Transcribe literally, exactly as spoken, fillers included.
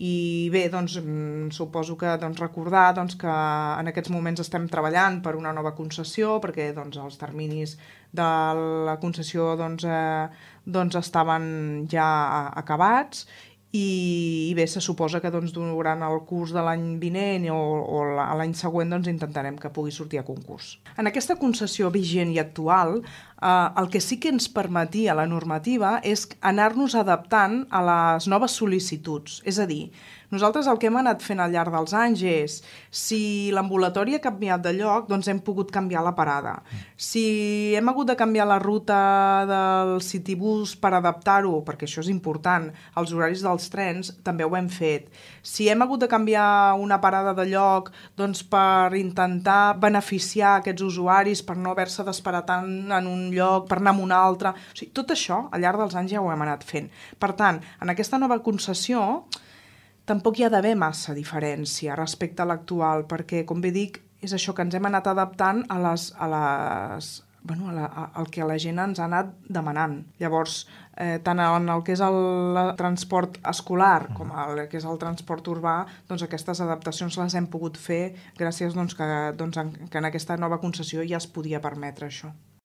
I bé, doncs, suposo que doncs, recordar doncs, que en aquests moments estem treballant per una nova concessió, perquè doncs, els terminis de la concessió doncs, eh, doncs, estaven ja acabats, i, i bé, se suposa que doncs, durant el curs de l'any vinent o, o l'any següent doncs, intentarem que pugui sortir a concurs. En aquesta concessió vigent i actual, eh, el que sí que ens permetia la normativa és anar-nos adaptant a les noves sol·licituds. És a dir, nosaltres el que hem anat fent al llarg dels anys és, si l'ambulatori ha canviat de lloc, doncs hem pogut canviar la parada. Si hem hagut de canviar la ruta del Citibus per adaptar-ho, perquè això és important, als horaris dels trens, també ho hem fet. Si hem hagut de canviar una parada de lloc doncs per intentar beneficiar aquests usuaris, per no haver-se d'esperar tant en un lloc, per anar a un altre... O sigui, tot això, al llarg dels anys ja ho hem anat fent. Per tant, en aquesta nova concessió, tampoc hi ha d'haver massa diferència respecte a l'actual, perquè, com bé dic, és això que ens hem anat adaptant a les... A les bueno, a la, a, al que la gent ens ha anat demanant. Llavors, eh, tant en el que és el, el transport escolar com el que és el transport urbà, doncs aquestes adaptacions les hem pogut fer gràcies doncs, que, doncs, en, que en aquesta nova concessió ja es podia permetre això.